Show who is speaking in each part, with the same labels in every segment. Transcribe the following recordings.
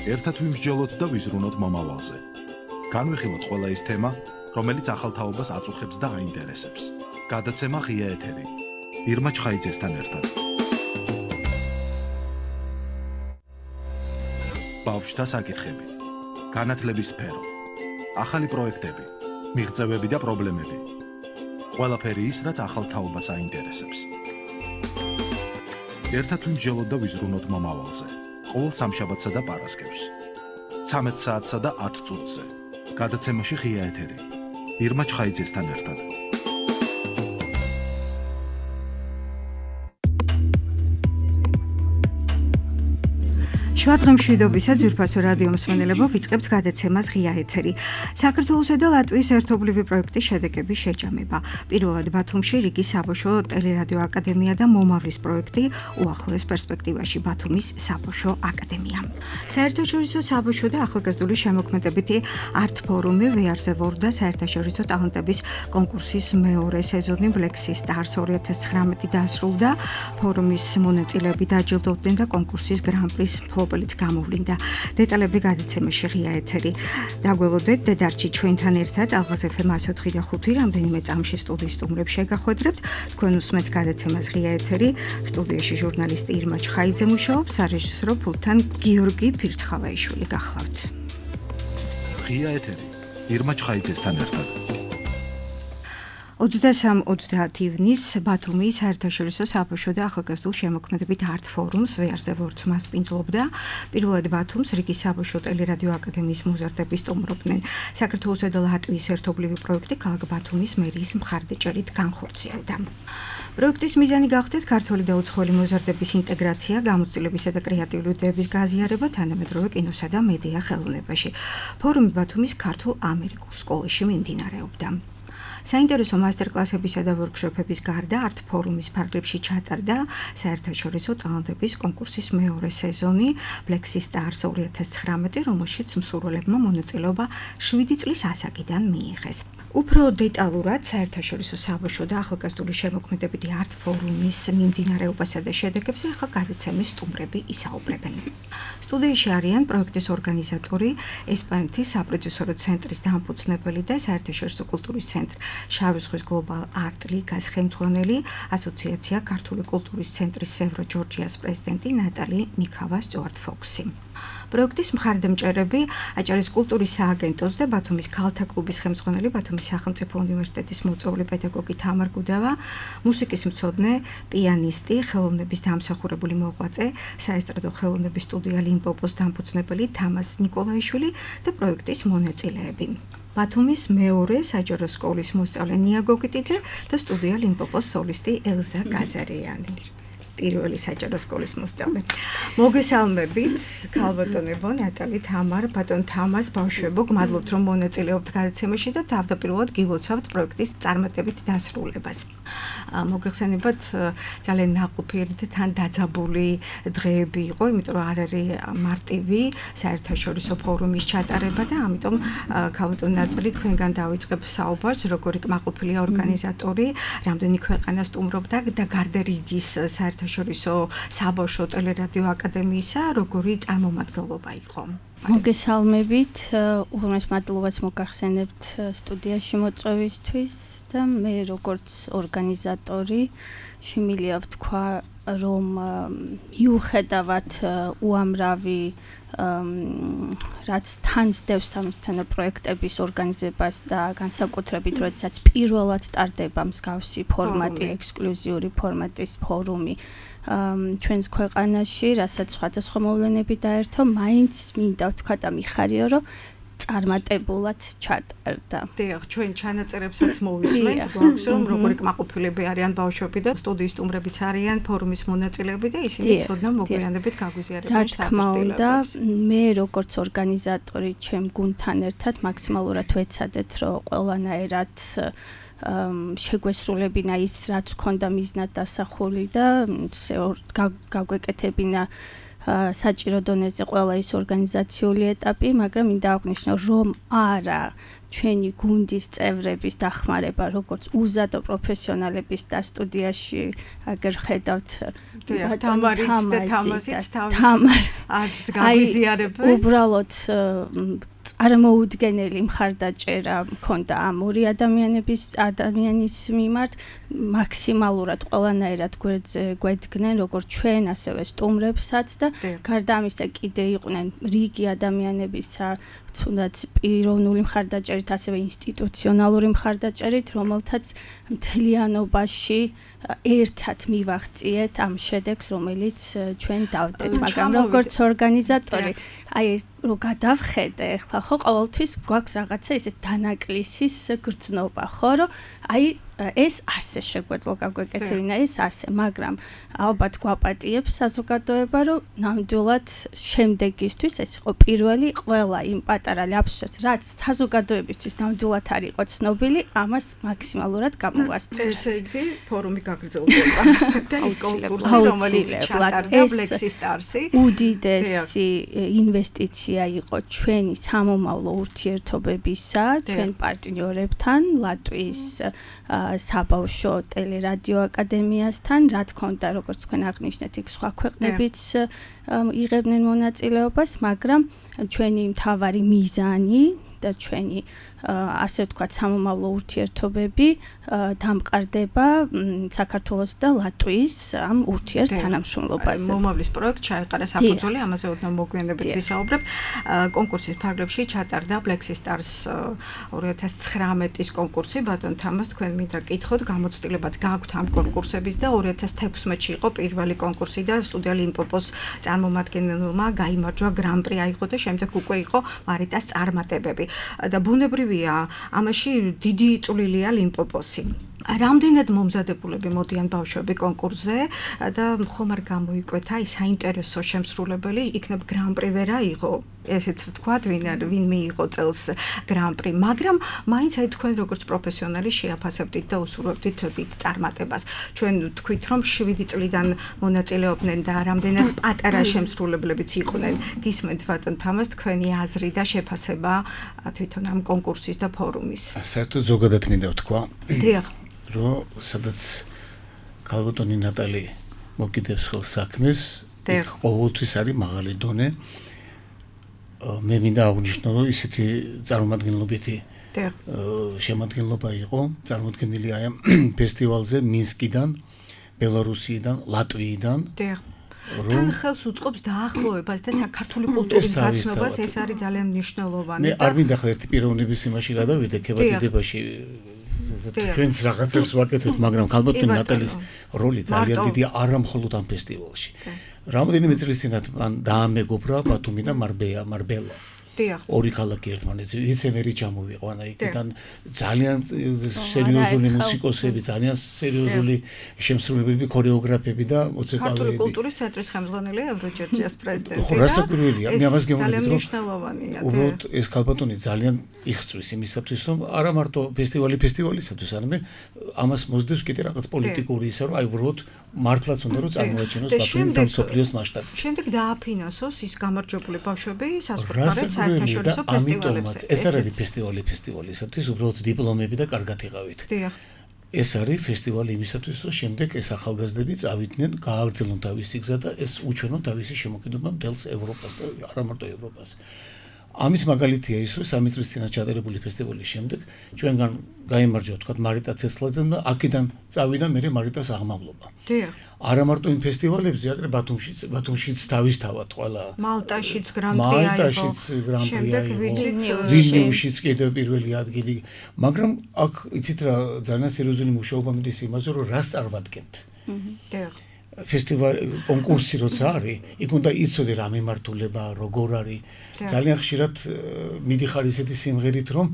Speaker 1: ერთად ვიმსჯელოთ და ვიზრუნოთ მომავალზე. განვიხილოთ ყველა ის თემა, რომელიც ახალთაობას აწუხებს და აინტერესებს. გადაცემა ღია ეთერი. ირმა ჩხაიძესთან ერთად. ბავშვთა საკითხები. განათლების სფერო. ახალი პროექტები, მიღწევები და პრობლემები. ყველაფერი ის, რაც ახალთაობას აინტერესებს. ერთად ვიმსჯელოთ და ვიზრუნოთ მომავალზე. ყოველ სამშაბათსა და პარასკევს. 13 საათსა და 10 წუთზე. გადაცემაში ღია ეთერი. ირმა ჩხაიძესთან ერთად.
Speaker 2: შვადღმშვიდობისა ძვირფასო რადიო მსმენელებო, ვიწყებთ გადაცემას ღია ეთერი. საქართველოსა და ლატვიის ერთობლივი პროექტის შედეგების შეჯამება. პირველად ბათუმში რიგის საბავშვო ტელერადიო აკადემია და მომავლის პროექტი უახლოეს პერსპექტივაში ბათუმის საბავშვო აკადემია. საერთაშორისო საბავშვო და ახალგაზრდული შემოქმედებითი არტ ფორუმი ვეარზე ვორდა საერთაშორისო ტალანტების კონკურსის მეორე სეზონი Black Stars 2019 დასრულდა. ფორუმის მონაწილეები დაჯილდოვდნენ და კონკურსის გრან-პრის მფლობელიც გამოვლინდა. დეტალები გადაცემაში ღია ეთერი. დაგველოდეთ დედარჩი ჩვენთან ერთად ალღაზ FM 104 და 5 რამდენიმე წამში სტუდიის სტუმრებს შეგახვედრებთ. თქვენ უსმენთ გადაცემას ღია ეთერი. სტუდიაში ჟურნალისტი ირმა ჩხაიძე მუშაობს, სარეჟისორო პულტთან გიორგი ფირცხალაიშვილი გახლავთ.
Speaker 1: ღია ეთერი. ირმა ჩხაიძესთან ერთად.
Speaker 2: 23-30 ივნის ბათუმის საერთაშორისო საბავშვო და ახალგაზრდულ შემოქმედებით არტ ფორუმს ვეარზე ვორდს მასპინძლობდა. პირველად ბათუმს რიგის საბავშვო ტელერადიო აკადემიის მოზარდები სტუმრობდნენ. საქართველოსა და ლატვიის ერთობლივი პროექტი ქალაქ ბათუმის მერიის მხარდაჭერით განხორციელდა. პროექტის მიზანი გახდათ ქართველი და უცხოელი მოზარდების ინტეგრაცია, გამოცდილებისა და კრეატიული იდეების გაზიარება თანამედროვე კინოსა და მედია ხელოვნებაში. ფორუმი ბათუმის ქართულ-ამერიკულ სკოლაში მიმდინარეობდა. საინტერესო მასტერკლასებისა და ვორქშოპების გარდა არტ ფორუმის ფარგლებში ჩატარდა საერთაშორისო ტალანტების კონკურსის მეორე სეზონი Black Stars 2019, რომელშიც მსურველებმა მონაწილეობა 7 წლის ასაკიდან მიიღეს. უფრო დეტალურად საერთაშორისო საბავშვო და ახალგაზრდული შემოქმედებითი არტ ფორუმის მიმდინარეობასა და შედეგებზე ახლა გადაცემის სტუმრები ისაუბრებენ. სტუდიაში არიან პროექტის ორგანიზატორი, ესპანეთის საპროდიუსერო ცენტრის დამფუძნებელი და საერთაშორისო კულტურის ცენტრი შავი ზღვის გლობალ არტ ლიგას ხელმძღვანელი, ასოციაცია ქართული კულტურის ცენტრის სევრო ჯორჯიას პრეზიდენტი ნატალი მიქავა სტუარტ-ფოქსი. პროექტის მხარდამჭერები აჭარის კულტურის სააგენტოს და ბათუმის ქალთა კლუბის ხელმძღვანელი, ბათუმის სახელმწიფო უნივერსიტეტის მოწვეული პედაგოგი თამარ გუდავა, მუსიკის მცოდნე, პიანისტი, ხელოვნების დამსახურებული მოღვაწე, საესტრადო ხელოვნების სტუდია ლიმპოპოს დამფუძნებელი თამას ნიკოლაიშვილი და პროექტის მონაწილეები. ბათუმის მეორე საჯარო სკოლის მოსწავლე ნია გოგიტიძე და სტუდია ლიმპოპოს სოლისტი ელზა გაზარიანი. პირველი საჯარო სკოლის მოსწავლე. მოგესალმებით, ქალბატონებო, ნატალი, თამარ, ბატონ თამას, ბავშვებო, გმადლობთ რომ მონაწილეობთ გადაცემაში და თავდაპირველად გილოცავთ პროექტის წარმატებით დასრულებას. მოგეხსენებათ, ძალიან ნაყოფიერი და თან დაძაბული დღეები იყო, იმიტომ რომ არ არის მარტივი საერთაშორისო ფორუმის ჩატარება და ამიტომ ქალბატონ ნატალი თქვენგან დავიწყებ საუბარს, როგორი კმაყოფილია ორგანიზატორი, რამდენი ქვეყანა სტუმრობდა და გარდა რიგის საერთაშორისო საბავშვო ტელერადიო აკადემიისა, როგორი წარმომადგენლობა იყო.
Speaker 3: მოგესალმებით, უღრმეს მადლობას მოგახსენებთ სტუდიაში მოწვევისთვის და მე როგორც ორგანიზატორი შემიძლია ვთქვა, რომ მიუხედავად უამრავი რაც თან სდევს სამისთანო პროექტების ორგანიზებას და განსაკუთრებით როდესაც პირველად ტარდება მსგავსი ფორმატი, ექსკლუზიური ფორმატის ფორუმი ჩვენს ქვეყანაში, რასაც სხვადასხვა მოვლენები დაერთო, მაინც მინდა ვთქვა და მიხარიო, რომ წარმატებულად ჩატარდა.
Speaker 2: დიახ, ჩვენ ჩანაწერებსაც მოვისმენთ, გვაქვს რომ როგორი კმაყოფილები არიან ბავშვები და სტუდიის სტუმრებიც არიან ფორუმის მონაწილეები და ისინი ცოდნა მოგვიანებით გაგვიზიარებენ
Speaker 3: რა თქმა უნდა, მე როგორც ორგანიზატორი ჩემ გუნდთან ერთად მაქსიმალურად ვეცადეთ, რომ ყველანაირად შეგვესრულებინა ის, რაც ჰქონდა მიზნად დასახული და გაგვეკეთებინა საჭირო დონეზე ყველა ის ორგანიზაციული ეტაპი, მაგრამ მინდა აღვნიშნო, რომ არა ჩვენი გუნდის წევრების დახმარება, როგორც უზადო პროფესიონალების და სტუდიაში აგერ ხედავთ
Speaker 2: თამარიც და თამაზიც აზრს გაგვიზიარებენ.
Speaker 3: უბრალოდ წარმოუდგენელი მხარდაჭერა მქონდა ამ ორი ადამიანის მიმართ, მაქსიმალურად ყველანაირად გვედგნენ როგორც ჩვენ, ასევე სტუმრებსაც და გარდა ამისა კიდე იყვნენ რიგი ადამიანებისა, თუნდაც პიროვნული მხარდაჭერით, ასევე ინსტიტუციონალური მხარდაჭერით, რომელთაც მთლიანობაში ერთად მივაღწიეთ ამ შედეგს, რომელიც ჩვენ დავდეთ, მაგრამ როგორც ორგანიზატორი, აი რო გადავხედე, ახლა ხო ყოველთვის გვაქვს რაღაცა ისე დანაკლისის გრძნობა, ხო, რომ აი ეს ასე შეგვეძლო გაგვეკეთებინა ეს ასე, მაგრამ ალბათ გვაპატიებს საზოგადოება, რომ ნამდვილად შემდეგისთვის ეს იყო პირველი ყველა იმ პატარა ляпსებს, რაც საზოგადოებისთვის ნამდვილად არ იყო ცნობილი, ამას მაქსიმალურად გამოვასწრებთ.
Speaker 2: ესე იგი, ფორუმი გაგრძელდება და ის კონკურსი, რომელიც ჩატარდა Black Stars-ი,
Speaker 3: უდიდესი ინვესტიცია იყო ჩვენი სამომავლო ურთიერთობებისა, ჩვენ პარტნიორებთან, ლატვიის საბავშვო ტელერადიო აკადემიასთან, რა თქმა უნდა, როგორც თქვენ აღნიშნეთ, იქ სხვა ქვეყნებიც იღებდნენ მონაწილეობას, მაგრამ ჩვენი მთავარი მიზანი და ჩვენი ასე ვთქვათ სამომავლო ურთიერთობები დამყარდება საქართველოს და ლატვიის ამ ურთიერთთანამშრომლობაზე.
Speaker 2: მომავლის პროექტ ჩაეყარა საფუძველი, ამაზე ოდნავ მოგვიანებით ვისაუბრებთ. კონკურსის ფარგლებში ჩატარდა Black Stars 2019-ის კონკურსი, ბატონ თამაზ, თქვენ მინდა გკითხოთ, გამოცდილებად გაქვთ ამ კონკურსების და 2016-ში იყო პირველი კონკურსი და სტუდია ლიმპოპოს წარმომადგენელმა გაიმარჯვა გრან-პრი აიღო და შემდეგ უკვე იყო მარიტას წარმატებები. და ბუნებრივია, ამაში დიდი წვლილია ლიმპოპოსი. რამდენად მომზადებულები მოდიან ბავშვები კონკურსზე და ხომ არ გამოიკვეთა ის საინტერესო შემსრულებელი, იქნებ გრან-პრი ვერ აიღო, ესეც ვთქვათ, ვინ მიიღო წელს გრან-პრი, მაგრამ მაინც აი თქვენ როგორც პროფესიონალი შეაფასებდით და უსურვებდით დიდ წარმატებას. ჩვენ თქვით, რომ 7 წლიდან მონაწილეობდნენ და რამდენად პატარა შემსრულებლებიც იყვნენ. გისმენთ ბატონ თამაზ, თქვენი აზრი და შეფასება თვითონ ამ კონკურსის და ფორუმის.
Speaker 4: საერთოდ ზოგადად მინდა ვთქვა.
Speaker 2: დიახ.
Speaker 4: რომ სადაც ქალბატონი ნატალი მოგიდებს ხელს საქმეს, ყოველთვის არის მაღალი დონე. მე მინდა აღვნიშნო, რომ ისეთი წარმომადგენლობითი შემადგენლობა იყო, წარმოდგენილი აი ამ ფესტივალზე მინსკიდან, ბელარუსიიდან, ლატვიიდან.
Speaker 2: თან ხელს უწყობს დაახლოებას და საქართველოს კულტურის გაცნობას, ეს არის ძალიან მნიშვნელოვანი.
Speaker 4: მე არ მინდა ხარ ერთი პიროვნების იმაში გადავიდე, ქებადიდებაში ჩვენს რაღაცებს ვაკეთებთ, მაგრამ ქალბატონი ნატალის როლი ძალიან დიდია არა მხოლოდ ამ ფესტივალში. რამდენიმე წლის წინათ მან დაამეგობრა ბათუმი და მარბელა. ორი ქალაქი ერთმანეთზე, ვიცემერი ჩამოვიყო, იქიდან ძალიან სერიოზული მუსიკოსები, ძალიან სერიოზული შემსრულებლები, ქორეოგრაფები და მოცეკვავეები.
Speaker 2: ქართული კულტურის ცენტრის ხელმძღვანელი ევროჯერჯის პრეზიდენტი
Speaker 4: და რასაკვირველია, მე ამას გემოვნებით, რომ
Speaker 2: მნიშვნელოვანია.
Speaker 4: უბრალოდ ეს ქალბატონი ძალიან იხწვის იმისათვის, რომ არა მარტო ფესტივალისათვის, არამედ ამას მოსდევს კიდე რაღაც პოლიტიკური ისა, რომ აი უბრალოდ მართლაც უნდა რომ წარმოაჩინოს ბათუმი და მსოფლიოს მასშტაბში.
Speaker 2: შემდეგ დააფინანსოს ის გამარჯვებული ბავშვები საზღვარგარეთ საერთაშორისო ფესტივალებზე.
Speaker 4: ეს არ არის ფესტივალისათვის, უბრალოდ დიპლომები და კარგად იღავით.
Speaker 2: დიახ.
Speaker 4: ეს არის ფესტივალი იმისათვის, რომ შემდეგ ეს ახალგაზრდები წავიდნენ, გააგრძელონ თავისი გზა და ეს უჩვენონ თავისი შემოქმედება მთელს ევროპას და არა მარტო ევროპას. ამის მაგალითია ის, რომ 3 წლის წინათ ჩატარებული ფესტივალის შემდეგ ჩვენგან გაიმარჯვა თქვა მარიტა ცეცხლაძე და აქედან წავიდა მე მარიტას აღმავლობა.
Speaker 2: დიახ.
Speaker 4: არა მარტო იმ ფესტივალებზე, აგრე ბათუმშიც თავისთავად ყველა.
Speaker 2: მალტაშიც გრან-პრი აიღო.
Speaker 4: შემდეგ ვილნიუსშიც კიდევ პირველი ადგილი, მაგრამ აქ იცით რა ძალიან სერიოზული მუშაობა მიდის იმაზე, რომ რას წარმოვადგენთ.
Speaker 2: დიახ.
Speaker 4: ფესტივალი კონკურსი როცა არის, იქ უნდა იცოდე რა მიმართულება, როგორ არის. ძალიან ხშირად მიდიხარ ისეთი სიმღერით, რომ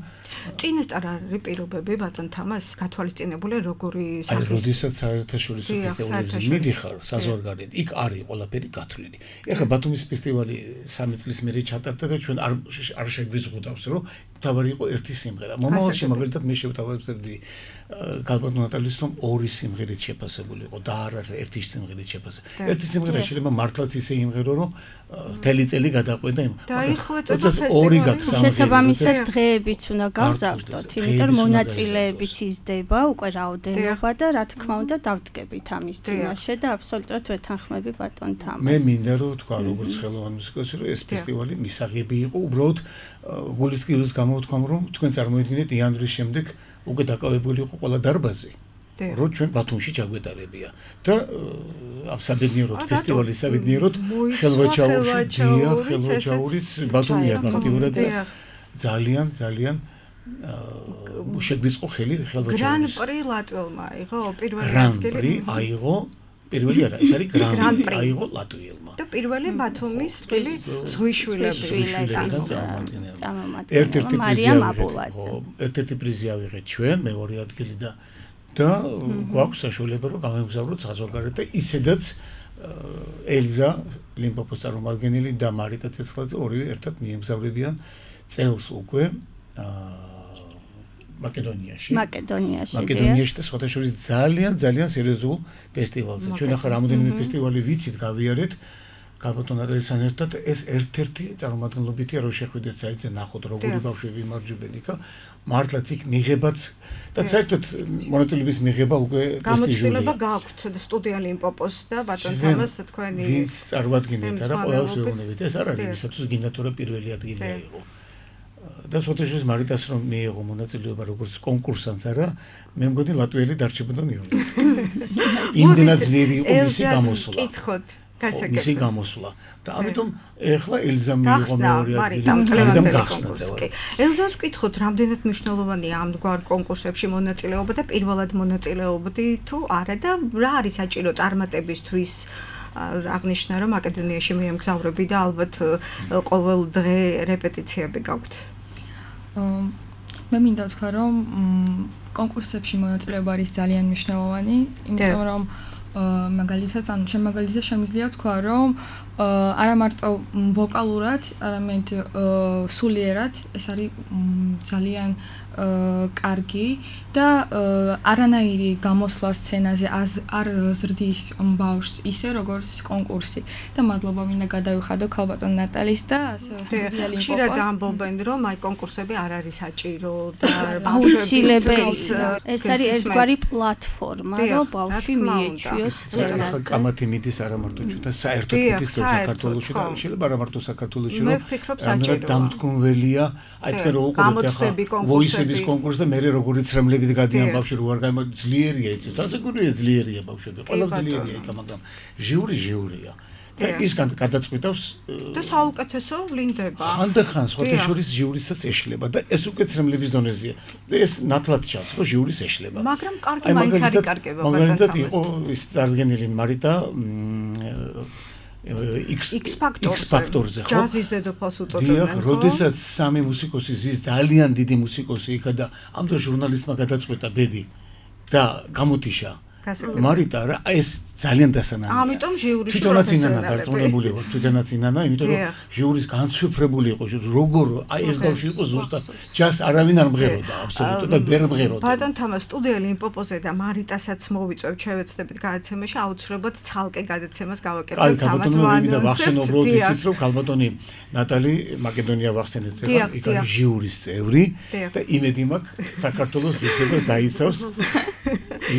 Speaker 2: წინასწარ არის პირობები ბატონ თამაზ გათვალისწინებული როგორი
Speaker 4: სახის. აი, როდესაც საერთაშორისო ფესტივალებზე მიდიხარ საზღვარგარეთ, იქ არის ყველაფერი გათვლილი. ეხლა ბათუმის ფესტივალი 3 წლის მერე ჩატარდა და ჩვენ არ შეგვიზღუდავს, რომ თავი იყო ერთი სიმღერა. მომავალში მაგალითად მე შევთავაზებდი გალბატონ ნატალის რომ ორი სიმღერით შეფასებული იყო და არა ერთი სიმღერით შეფასებული. ერთი სიმღერა შეიძლება მართლაც ისე იმღერო რომ მთელი წელი გადაყვედა იმ.
Speaker 2: დაიხვეწება
Speaker 4: ორი გაქვს სამღერა.
Speaker 3: შესაბამისად დღეებიც უნდა გავზავდოთ, იმიტომ რომ მონაწილეებიც იზრდება უკვე რაოდენობა და რა თქმა უნდა დავდგებით ამის წინაშე და აბსოლუტურად ვეთანხმები ბატონ თამას.
Speaker 4: მე მინდა რომ თქვა როგორც ხელოვანი მუსიკოსი რომ ეს ფესტივალი მისაღები იყო უბრალოდ გულისწყლის გამოვთქვამ რომ თქვენ წარმოიდგინეთ იანვრის შემდეგ უკვე დაკავებული იყო ყველა დარბაზი. რომ ჩვენ ბათუმში ჩაგვეტარებია და ამ საბედნიეროდ ფესტივალის საბედნიეროდ ხელვაჩაურიც ბათუმია აქტიურად და ძალიან შეგვიწყო ხელი ხელვაჩაურის.
Speaker 2: გრან-პრი ლატველმა აიღო პირველი
Speaker 4: ადგილი. გრან-პრი აიღო პირველი არა, ეს არის გრან-პრი აიღო ლატვიელმა.
Speaker 2: და პირველი ბათუმის წილი ზღვიშვილების
Speaker 4: ერთ-ერთი პრიზი ავიღეთ ჩვენ, მეორე ადგილი და გვაქვს საშუალება რომ გამოვგზავნოთ საზღვარგარეთ და ისედაც ელზა ლიმპოპოს წარმომადგენელი და მარიტა ცეცხლაძე ორივე ერთად მიემგზავრებიან წელს უკვე მაკედონიაში და სხვათა შორის ძალიან სერიოზულ ფესტივალზე. ჩვენ ახლა რამოდენიმე ფესტივალი ვიცით გავიარეთ გალბატონ ნატალისთან ერთად ეს ერთ-ერთი წარმომადგენლობითია რომ შეხვიდეთ საიტზე ნახოთ როგორი ბავშვები იმარჯვებენ იქა მართლაც იქ მიღებაც და საერთოდ მონაწილეობის მიღება უკვე
Speaker 2: პრესტიჟულია. გამოცდილება გაქვთ სტუდია ლიმპოპოს და ბატონ თამას თქვენი
Speaker 4: ვინც წარმოადგენთ არა ყველას ვეუბნებით ეს არ არის ვისაც გინდა თორე პირველი ადგილი აიღო. და სოთეშის მარიტას რომ მიიღო მონაწილეობა როგორც კონკურსანტს არა მე მგონი ლატვიელი დარჩებოდა მეორე. იმდენად ძლიერი იყო მისი გამოსვლა.
Speaker 2: კითხოთ
Speaker 4: მისი გამოსვლა და ამიტომ ეხლა ელზა მიიღო მეორე ადგილი გახსნა წელად.
Speaker 2: ელზას ვკითხოთ რამდენად მნიშვნელოვანია ამგვარ კონკურსებში მონაწილეობა და პირველად მონაწილეობდი თუ არა და რა არის საჭირო წარმატებისთვის აღნიშნა რომ მაკედონიაში მიემგზავრები და ალბათ ყოველ დღე რეპეტიციები გაქვთ.
Speaker 5: მე მინდა ვთქვა რომ კონკურსებში მონაწილეობა არის ძალიან მნიშვნელოვანი, იმიტომ რომ მაგალითად შემიძლია ვთქვა რომ არა მარტო ვოკალურად, არამედ სულიერად ეს არის ძალიან კარგი და არანაირი გამოსვლა სცენაზე არ ზრდის ბავშვს ისე როგორც კონკურსი და მადლობა მინდა გადავიხადო ქალბატონ ნატალის და
Speaker 2: სოციალისტ ხშირად ამბობენ რომ აი კონკურსები არ არის საჭირო და
Speaker 3: აუცილებელი ეს არის ერთგვარი პლატფორმა რომ ბავშვი მიეჩვიოს სცენაზე.
Speaker 4: კამათი მიდის არა მარტო ჩვენთან საერთოდ მიდის საქართველოში და შეიძლება არა მარტო საქართველოში რომ დამთქმველია აი თქვენ რო უყურებთ ახლა ვოისების კონკურსს და მე როგორიც რემლებით გადიან ბავშვი რო არ გაიმო ძლიერია იცის ასეკურია ძლიერია ბავშვები ყველა ძლიერია იქ მაგრამ ჟიურია და ის გადაწყვეტავს
Speaker 2: და საუკეთესო ვლინდება
Speaker 4: ხანდახან სხვათა შორის ჟიურისაც ეშლება და ეს უკეთ რემლების დონეზეა და ეს ნათლად ჩანს რომ ჟიურის ეშლება
Speaker 2: მაგრამ კარგი მაინც არის კარგება
Speaker 4: მაგალითად იყო ის წარდგენილი მარიტა X ფაქტორზე ხო?
Speaker 2: ჯაზის დედოფალს უწოდებენ ხო?
Speaker 4: როდესაც სამი მუსიკოსი ზის ძალიან დიდი მუსიკოსი იქა და ამ დროს ჟურნალისტმა გადაწყვეტა ბედი და გამოტიშა მარიტა რა ეს ძალიან დასანანია.
Speaker 2: ამიტომ ჟიურის
Speaker 4: თვითონაც ინანა დარწმუნებული იყო, თვითონაც ინანა, იმიტომ რომ ჟიურის განცვიფრებული იყო, როგორ აი ეს ბავშვი იყო ზუსტად ჯას არავინ არ მღეროდა აბსოლუტურად და ვერ მღეროდა.
Speaker 2: ბატონ თამას სტუდია ლიმპოპოზე და მარიტასაც მოვიწევთ შევეცდებით გადაცემაში, აუცილებლად ცალკე გადაცემას გავაკეთებთ თამას
Speaker 4: ვანონსებს. ვახსენობ ისიც რომ ქალბატონი ნატალი მაკედონია ვახსენეთ ეხლა, იქ არის ჟიურის წევრი და იმედი მაქვს საქართველოს ღირსებას დაიცავს.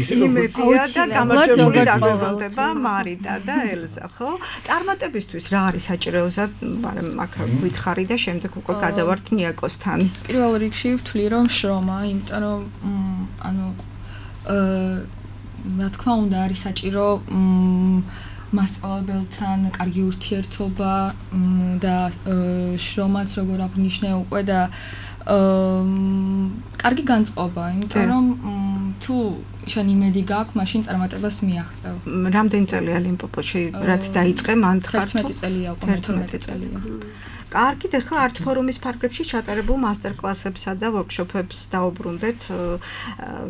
Speaker 4: ისე როგორც
Speaker 2: და გამარჯვებული დაგვალდება მარიტა და ელზა, ხო? წარმატებისთვის რა არის საჭირო ელზა, მაგრამ აქ გითხარი და შემდეგ უკვე გადავართ ნიაკოსთან.
Speaker 5: პირველ რიგში ვთვლი რომ შრომა, იმიტომ რომ რა თქმა უნდა არის საჭირო მასწავლებელთან კარგი ურთიერთობა და შრომაც როგორ აღნიშნე უკვე და კარგი განწყობა, იმიტომ რომ თუ შენ იმედი გაქვს, მაშინ წარმატებას მიაღწევ.
Speaker 2: რამდენი წელია ლიმპოპოში, რაც დაიწყე, მან ხარ
Speaker 5: 11 წელია უკვე, 12 წელია.
Speaker 2: კარგით, ახლა არტ ფორუმის ფარგლებში ჩატარებულ მასტერკლასებსა და ვორქშოპებს დაუბრუნდეთ.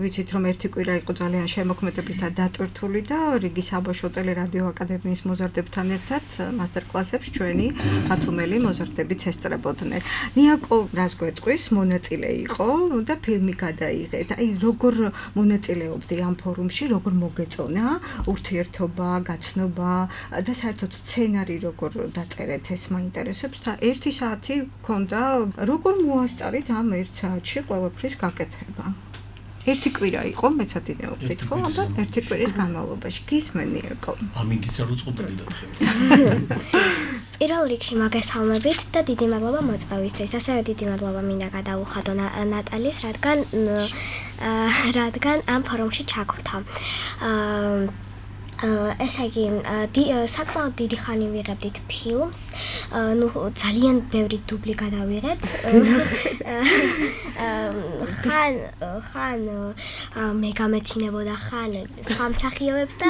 Speaker 2: ვიცით, რომ ერთი კვირა იყო ძალიან შემოქმედებით და დატვირთული და რიგის საბავშვო ტელერადიო აკადემიის მოზარდებთან ერთად მასტერკლასებს ჩვენი ბათუმელი მოზარდებიც ესწრებოდნენ. ნიაკო რას გვეტყვის, მონაწილე იყო და ფილმი გადაიღეთ. აი, როგორ მონაწილეობდი ამ ფორუმში, როგორ მოგეწონა ურთიერთობა, გაცნობა და საერთოდ სცენარი როგორ დაწერეთ, ეს მაინტერესებს და 1 საათი გქონდა, როგორ მოასწარით ამ 1 საათში ყველაფრის გაკეთება. 1 კვირა იყო, მეცადინეობდით, ხო? აბა 1 კვირის განმავლობაში გისმენი იყო.
Speaker 4: ამინდიც არ უწყობდი და ხე.
Speaker 6: პირველ რიგში მოგესალმებით და დიდი მადლობა მოწვევისთვის. ასევე დიდი მადლობა მინდა გადაუხადო ნატალის, რადგან ამ ფორუმში ჩაგვრთა. ესე იგი, საკმაოდ დიდი ხანი ვიღებდით ფილმს, ძალიან ბევრი დუბლი გადავიღეთ. ხან მე გამეცინებოდა, ხან სხვა მსახიობებს და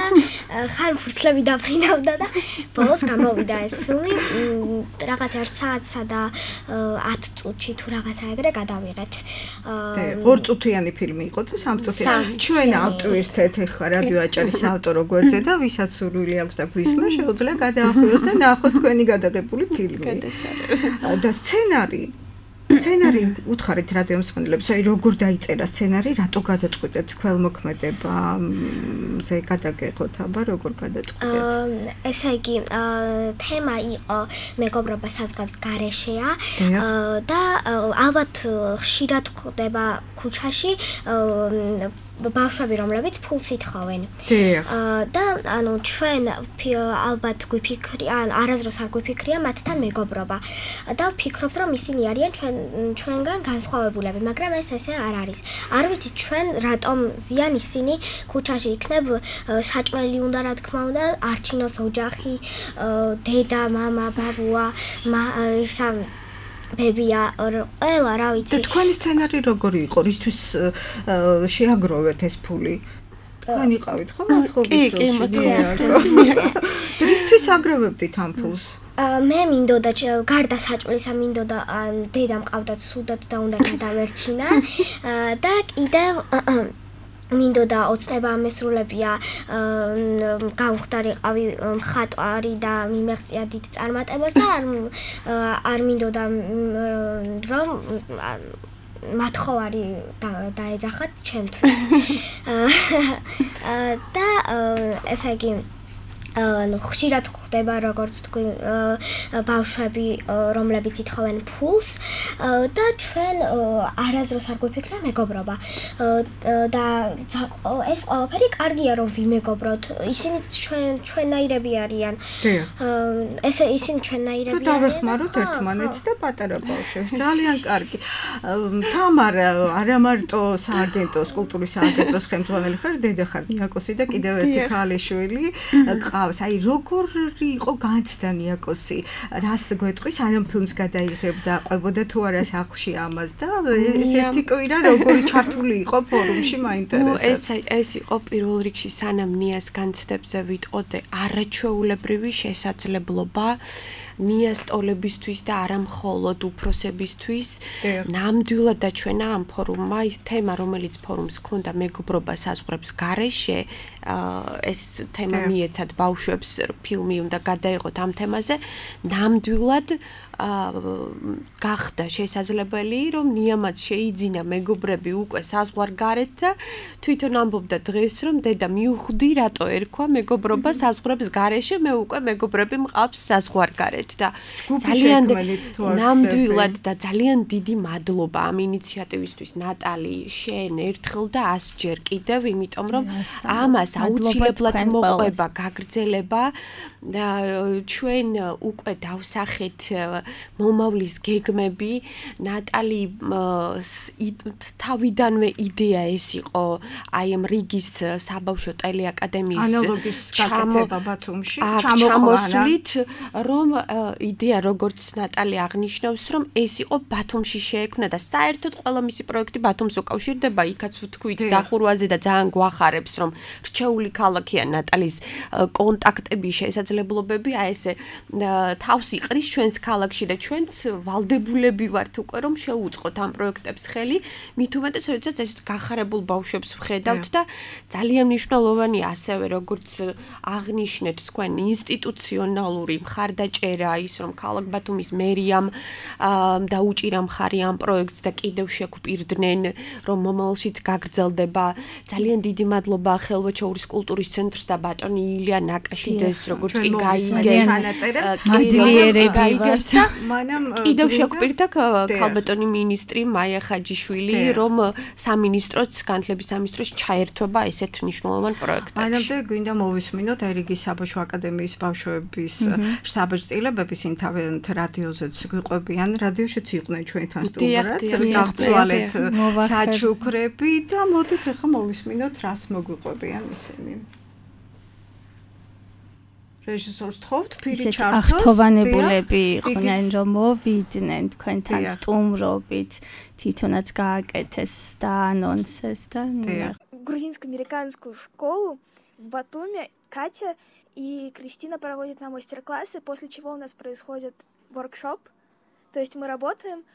Speaker 6: ხან ფურცლები დაფრინავდა და ბოლოს გამოვიდა ეს ფილმი. რაღაც 1 საათსა და 10 წუთში თუ რაღაცა ეგრე გადავიღეთ.
Speaker 2: 2 წუთიანი ფილმი იყო თუ 3 წუთიანი? ჩვენ ავტვირთეთ ახლა რადიო აჭარის ავტორო გვერდზე და ვისაც სურვილი აქვს და გვისმენს, შეუძლია გადაახუროს და ნახოს თქვენი გადაღებული ფილმი. და სცენარი უთხარით რადიო მსმენელებს, აი როგორ დაიწერა სცენარი, რატო გადაწყვეტეთ ქველმოქმედებაზე გადაგეხოთ, აბა როგორ გადაწყვეტეთ?
Speaker 6: ესე იგი, თემა იყო მეგობრობა საზღვრების გარეშეა და ალბათ ხშირად ხდება ქუჩაში ბავშვები, რომლებიც ფულს ითხოვენ. და ანუ ჩვენ ალბათ გვიფიქრია, არასდროს არ გვიფიქრია მათთან მეგობრობა. და ვფიქრობთ, რომ ისინი არიან ჩვენგან განსხვავებულები, მაგრამ ეს ესე არ არის. არ ვიცით ჩვენ რატომ ზიან ისინი ქუჩაში იქნებ საჭმელი უნდა რა თქმა უნდა, არჩინოს ოჯახი, დედა, მამა, ბაბუა, ისა ბებია, ყველა რა ვიცი.
Speaker 2: და თქვენი სცენარი როგორი იყო? რისთვის შეაგროვეთ ეს ფული? თქვენ იყავით ხო მოთხოვის
Speaker 5: კი, მოთხოვის.
Speaker 2: რისთვის აგროვებდით ამ ფულს?
Speaker 6: მე მინდოდა გარდა საჭმელისა მინდოდა დედამ ყავდა სუდად და უნდა გადავერჩინა და კიდევ მინდოდა ოცნება მესრულებია გავხდარიყავი მხატვარი და მიმეღწია დიდ წარმატებას და არ მინდოდა რომ მათხოვარი დაეძახათ ჩემთვის და ესე იგი ხშირად ხდება როგორც თქვი ბავშვები რომლებიც ითხოვენ ფულს და ჩვენ არასდროს არ გვიფიქრა მეგობრობა და ეს ყველაფერი კარგია რომ ვიმეგობროთ ისინი ჩვენნაირები არიან ესე ისინი ჩვენნაირები არიან
Speaker 2: და დავეხმაროთ ერთმანეთს და პატარა ბავშვებს ძალიან კარგი თამარა არა მარტო სააგენტოს კულტურის სააგენტოს ხელმძღვანელი ხარ დედა ხარ ნიაკოსი და კიდევ ერთი ქალიშვილი აი როგორი იყო განცდა ნიაკოსი რას გვეტყვის ამ ფილმს გადაიღებდა ყვებოდა თუ არა სახლში ამას და ესეთი კვირა როგორი ჩართული იყო ფორუმში მაინტერესებს
Speaker 7: ეს იყო პირველ რიგში სანამ ნიას განცდებზე ვიტყოდე არაჩვეულებრივი შესაძლებლობა ნიასტოლებისთვის და არა მხოლოდ უფროსებისთვის ნამდვილად დაჩვენა ამ ფორუმმა ის თემა რომელიც ფორუმს ჰქონდა მეგობრობა საზღვრების გარეშე ეს თემა მიეცათ ბავშვებს ფილმი უნდა გადაიღოთ ამ თემაზე ნამდვილად გახდა შესაძლებელი რომ ნიამაც შეიძინა მეგობრები უკვე საზღვარგარეთ და თვითონ ამბობდა დღეს რომ დედა მიუხვდი რატო ერქვა მეგობრობა საზღვრების გარეშე მე უკვე მეგობრები მყავს საზღვარგარეთ და ძალიან ნამდვილად და ძალიან დიდი მადლობა ამ ინიციატივისთვის ნატალი შენ ერთხელ და 100 ჯერ კიდევ იმიტომ რომ ამას აუცილებლად მოყვება გაგრძელება ჩვენ უკვე დავსახეთ მომავლის გეგმები. ნატალი თავიდანვე იდეა ეს იყო აი ამ რიგის საბავშვო ტელეაკადემიის
Speaker 2: ანალოგის გაკეთება ბათუმში
Speaker 7: ჩამოსვლით, რომ იდეა როგორც ნატალი აღნიშნავს, რომ ეს იყო ბათუმში შეექმნა და საერთოდ ყველა მისი პროექტი ბათუმს უკავშირდება, იქაც ვთქვით დახურვაზე და ძალიან გვახარებს, რომ რჩეული ქალაქია ნატალის კონტაქტები, შესაძლებლობები, აი ესე თავს იყრის ჩვენს ქალაქში და ჩვენც ვალდებულები ვართ უკვე რომ შეუწყოთ ამ პროექტებს ხელი, მით უმეტეს როდესაც ეს გახარებულ ბავშვებს ვხედავთ და ძალიან მნიშვნელოვანია ასევე როგორც აღნიშნეთ თქვენ ინსტიტუციონალური მხარდაჭერა ის რომ ქალაქ ბათუმის მერიამ დაუჭირა მხარი ამ პროექტს და კიდევ შეგვპირდნენ რომ მომავალშიც გაგრძელდება. ძალიან დიდი მადლობა ხელვაჩაურის კულტურის ცენტრს და ბატონი ილია ნაკაშიძეს როგორც კი გაიგეს
Speaker 2: მადლიერები
Speaker 7: და კიდევ შეგვპირდა ქალბატონი მინისტრი მაია ხაჯიშვილი რომ სამინისტროც განათლების სამინისტროს ჩაერთვება ესეთ მნიშვნელოვან პროექტებში.
Speaker 2: მანამდე გვინდა მოვისმინოთ ერიგის საბავშვო აკადემიის ბავშვების შტაბ-ჭრილებების ინთავენთ რადიოზეც გვიყვებიან, რადიოშიც იყვნენ ჩვენთან სტუმრად, გავცვალეთ საჩუქრები და მოდით ახლა მოვისმინოთ რას მოგვიყვებიან ისინი. რეჟისორს თხოვთ ფირი ჩართოს.
Speaker 3: ახთოვანებულები იყვნენ რომ მოვიდნენ თქვენთან სტუმრობით, თვითონაც გააკეთეს და ანონსეს და
Speaker 8: грузинско-американскую школу в Батуми Катя и Кристина проводят нам мастер-классы, после чего у нас происходит воркшоп. То есть мы работаем,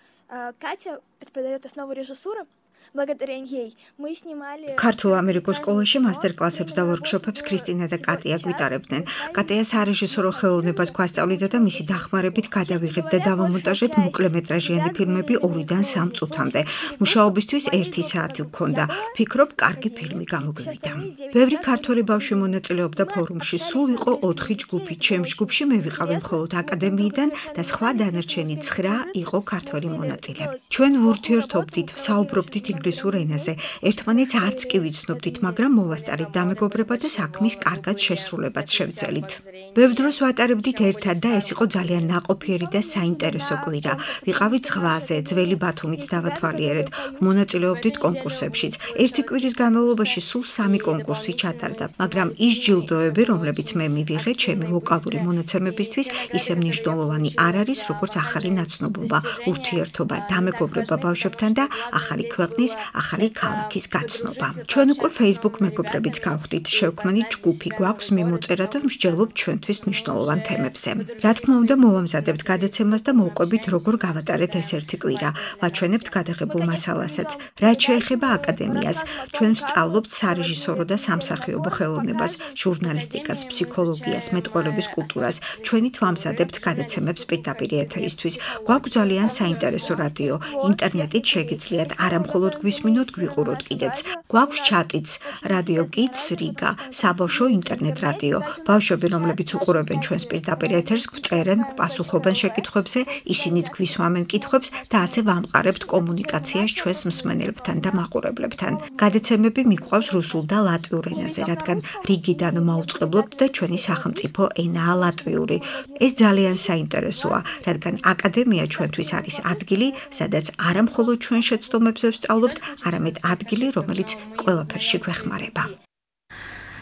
Speaker 8: Катя преподает основу режиссуры. благодаря ей мы снимали
Speaker 2: ქართულ-ამერიკულ სკოლაში მასტერ-კლასებს და ვორქშოპებს კრისტინა და კატია გვიტარებდნენ. კატია სარეჟისორო ხელოვნებას გვასწავლიდა და მისი დახმარებით გადავიღეთ და დავამონტაჟეთ მოკლემეტრაჟიანი ფილმები 2-დან 3 წუთამდე. მუშაობისთვის 1 საათი გვქონდა. ვფიქრობ, კარგი ფილმი გამოგვივიდა. ბევრი ქართველი ბავშვი მონაწილეობდა ფორუმში. სულ იყო 4 ჯგუფი. ჩემ ჯგუფში მე ვიყავი მხოლოდ აკადემიიდან და სხვა დანარჩენი 9 იყო ქართველი მონაწილე. ჩვენ ვურთიერთობდით, ვსაუბრობდით ინგლისურ ენაზე. ერთმანეთს არც კი ვიცნობდით, მაგრამ მოვასწარით დამეგობრება და საქმის კარგად შესრულებაც შევძელით. ბევრ დროს ვატარებდით ერთად და ეს იყო ძალიან ნაყოფიერი და საინტერესო კვირა. ვიყავით ზღვაზე, ძველი ბათუმით დავათვალიერეთ, მონაწილეობდით კონკურსებშიც. ერთი კვირის განმავლობაში სულ 3 კონკურსი ჩატარდა, მაგრამ ის ჯილდოები, რომლებიც მე მივიღე ჩემი ვოკალური მონაცემებისთვის, ისე მნიშვნელოვანი არ არის, როგორც ახალი ნაცნობობა, ურთიერთობა, დამეგობრება ბავშვებთან და ახალი ქვეყნის, ახალი ქალაქის გაცნობა. ჩვენ უკვე Facebook მეგობრებიც გავხდით, შევქმნით ჯგუფი, გვაქვს მიმოწერა და მსჯელობ ჩვენთვის მნიშვნელოვან თემებზე. რა თქმა უნდა, მოვამზადებთ გადაცემას და მოვყვებით, როგორ გავატარეთ ეს ერთი კვირა. ვაჩვენებთ გადაღებულ მასალასაც. რაც შეეხება აკადემიას, ჩვენ ვსწავლობთ სარეჟისორო და სამსახიობო ხელოვნებას, ჟურნალისტიკას, ფსიქოლოგიას, მეტყველების კულტურას. ჩვენით ვამზადებთ გადაცემებს პირდაპირ ეთერისთვის. გვაქვს ძალიან საინტერესო რადიო, ინტერნეტით შეგიძლიათ არა მხოლოდ გვისმინოთ, გვიყუროთ კიდეც. გვაქვს ჩატიც, რადიო კიდს რიგა, საბავშვო ინტერნეტ რადიო. ბავშვები, რომლებიც უყურებენ ჩვენს პირდაპირ ეთერს, გვწერენ, გვპასუხობენ შეკითხვებზე, ისინიც გვისვამენ კითხვებს და ასე ვამყარებთ კომუნიკაციას ჩვენს მსმენელებთან და მაყურებლებთან. გადაცემები მიგვყავს რუსულ და ლატვიურ ენაზე, რადგან რიგიდან მაუწყებლობთ და ჩვენი სახელმწიფო ენაა ლატვიური. ეს ძალიან საინტერესოა, რადგან აკადემია ჩვენთვის არის ადგილი, სადაც არა მხოლოდ ჩვენ შეცდომებზე ვსწავლობთ, არამედ ადგილი, რომელიც ყველაფერში გვეხმარება.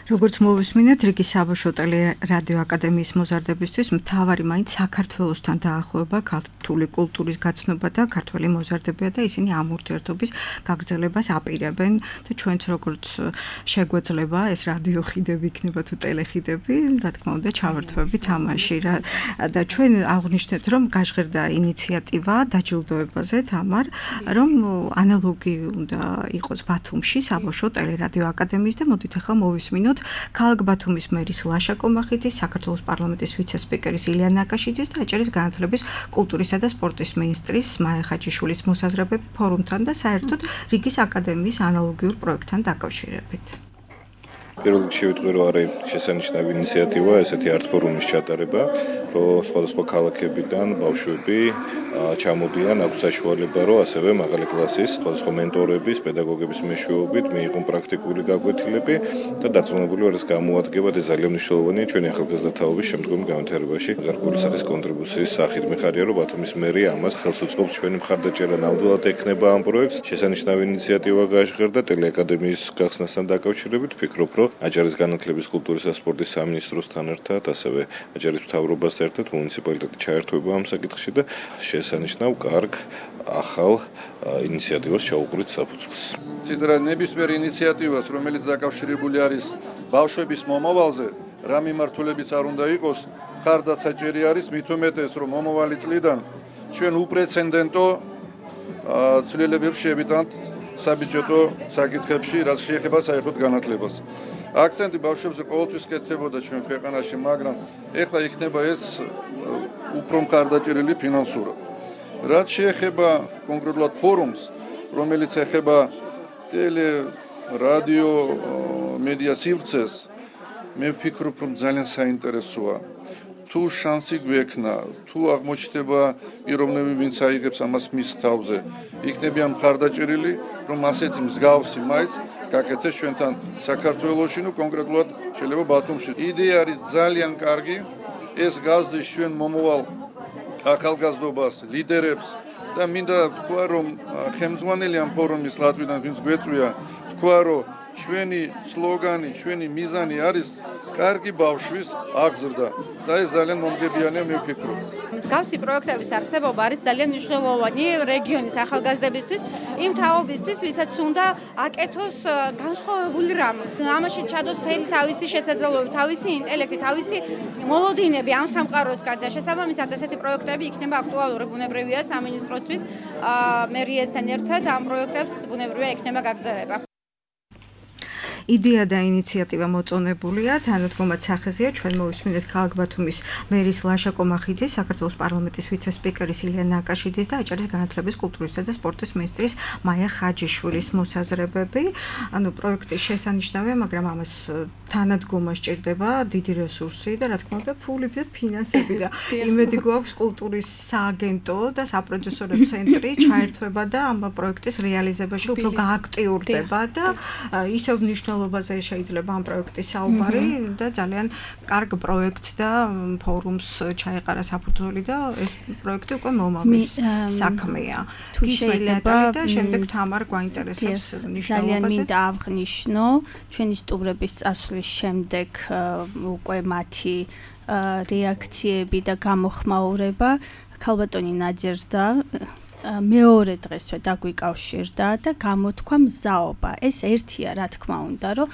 Speaker 2: როგორც მოვისმინეთ, რიგის საბავშვო ტელერადიო აკადემიის მოზარდებისთვის მთავარი მაინც საქართველოსთან დაახლოება, ქართული კულტურის გაცნობა და ქართველი მოზარდებია და ისინი ამ ურთიერთობის გაგრძელებას აპირებენ და ჩვენც როგორც შეგვეძლება ეს რადიო ხიდები იქნება თუ ტელეხიდები, რა თქმა უნდა, ჩავერთვებით ამაში და ჩვენ აღვნიშნეთ, რომ გაჟღერდა ინიციატივა დაჯილდოებაზე თამარ, რომ ანალოგი უნდა იყოს ბათუმში საბავშვო ტელერადიო აკადემიის და მოდით ახლა მოვისმინოთ ქალაქ ბათუმის მერის ლაშა კომახიძის, საქართველოს პარლამენტის ვიცე-სპიკერის ილია ნაკაშიძის და აჭარის განათლების, კულტურისა და სპორტის მინისტრის მაია ხაჯიშვილის მოსაზრებები ფორუმთან და საერთოდ რიგის აკადემიის ანალოგიურ პროექტთან დაკავშირებით.
Speaker 9: პირველ რიგში ვიტყვი, რომ არის შესანიშნავი ინიციატივა ესეთი არტ ფორუმის ჩატარება, რომ სხვადასხვა ქალაქებიდან ბავშვები ჩამოდიან, აქვს საშუალება, რომ ასევე მაღალი კლასის სხვადასხვა მენტორების, პედაგოგების მეშვეობით მიიღონ პრაქტიკული გაკვეთილები და დარწმუნებული ვარ, ეს გამოადგება და ძალიან მნიშვნელოვანია ჩვენი ახალგაზრდათაობის შემდგომი განვითარებაში. გარკვეული სახის კონტრიბუციის სახით მიხარია, რომ ბათუმის მერია ამას ხელს უწყობს. ჩვენი მხარდაჭერა ნამდვილად ექნება ამ პროექტს. შესანიშნავი ინიციატივა გაჟღერდა ტელეაკადემიის გახსნასთან დაკავშირებით. ვფიქრობ, რომ აჯარის განათლების, კულტურის და სპორტის სამინისტროსთან ერთად, ასევე აჯარის მთავრობასთან ერთად მუნიციპალიტეტი ჩაერთვება ამ საკითხში და შესანიშნავ კარგ ახალ ინიციატივას ჩაუყრით საფუძველს.
Speaker 10: ციდრა ნებისმიერ ინიციატივას, რომელიც დაკავშირებული არის ბავშვების მომავალზე, რა მიმართულებიც არ უნდა იყოს, ხარდასაჭერი არის, მით უმეტეს, რომ მომავალი წლიდან ჩვენ უპრეცედენტო ცვლილებებს შევიტანთ საბიუჯეტო საკითხებში, რაც შეეხება საერთოდ განათლებას. აქცენტი ბავშვებზე ყოველთვის კეთდებოდა ჩვენ ქვეყანაში, მაგრამ ეხლა იქნება ეს უფრო მხარდაჭერილი ფინანსურად. რაც შეეხება კონკრეტულად ფორუმს, რომელიც ეხება ტელე, რადიო, მედია სივრცეს, მე ვფიქრობ, რომ ძალიან საინტერესოა. თუ შანსი გვექნა, თუ აღმოჩნდება პიროვნები, ვინც აიღებს ამას მის თავზე, იქნებიან მხარდაჭერილი, რომ ასეთი მსგავსი მაინც გაკეთდეს ჩვენთან საქართველოში, ნუ კონკრეტულად შეიძლება ბათუმში. იდეა არის ძალიან კარგი, ეს გაზრდის ჩვენ მომავალ ახალგაზრდობას, ლიდერებს და მინდა თქვა, რომ ხელმძღვანელი ამ ფორუმის ლატვიდან ვინც გვეწვია, თქვა, რომ ჩვენი სლოგანი, ჩვენი მიზანი არის კარგი ბავშვის აღზრდა და ეს ძალიან მომგებიანია, მე ვფიქრობ.
Speaker 11: მსგავსი პროექტების არსებობა არის ძალიან მნიშვნელოვანი რეგიონის ახალგაზრდებისთვის, იმ თაობისთვის, ვისაც უნდა აკეთოს განსხვავებული რამ. ამაში ჩადოს მთელი თავისი შესაძლებლობები, თავისი ინტელექტი, თავისი მოლოდინები ამ სამყაროსგან და შესაბამისად ესეთი პროექტები იქნება აქტუალური. ბუნებრივია სამინისტროსთვის მერიასთან ერთად ამ პროექტებს ბუნებრივია იქნება გაგრძელება.
Speaker 2: იდეა და ინიციატივა მოწონებულია, თანადგომად სახეზეა ჩვენ მოვისმინეთ ქალაქ ბათუმის მერის ლაშა კომახიძის, საქართველოს პარლამენტის ვიცე-სპიკერის ილია ნაკაშიძის და აჭარის განათლების, კულტურისა და სპორტის მინისტრის მაია ხაჯიშვილის მოსაზრებები. ანუ პროექტი შესანიშნავია, მაგრამ ამას თანადგომა სჭირდება დიდი რესურსი და რა თქმა უნდა ფული და ფინანსები და იმედი გვაქვს კულტურის სააგენტო და საპროდიუსერო ცენტრი ჩაერთვება და ამ პროექტის რეალიზებაში უფრო გააქტიურდება და ისევ მნიშვნელობაზე შეიძლება ამ პროექტის საუბარი და ძალიან კარგ პროექტს და ფორუმს ჩაეყარა საფუძველი და ეს პროექტი უკვე მომავლის საქმეა.
Speaker 3: თუ შეიძლება
Speaker 2: და შემდეგ თამარ გვაინტერესებს მნიშვნელობაზე.
Speaker 3: ძალიან მინდა აღნიშნო ჩვენი სტუმრების წასვლის შემდეგ უკვე მათი რეაქციები და გამოხმაურება ქალბატონი ნაძერდა მეორე დღესვე დაგვიკავშირდა და გამოთქვა მზაობა. ეს ერთია, რა თქმა უნდა, რომ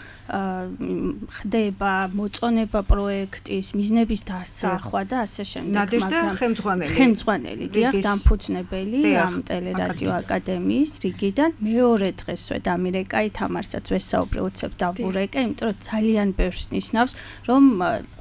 Speaker 3: ხდება მოწონება პროექტის, მიზნების დასახვა და ასე შემდეგ.
Speaker 2: ნადეჟდა ხელმძღვანელი.
Speaker 3: ხელმძღვანელი, დიახ, დამფუძნებელი ამ ტელერადიო აკადემიის რიგიდან. მეორე დღესვე დამირეკა, თამარსაც ვესაუბრე, უცებ დავურეკე, იმიტომ რომ ძალიან ბევრს ნიშნავს, რომ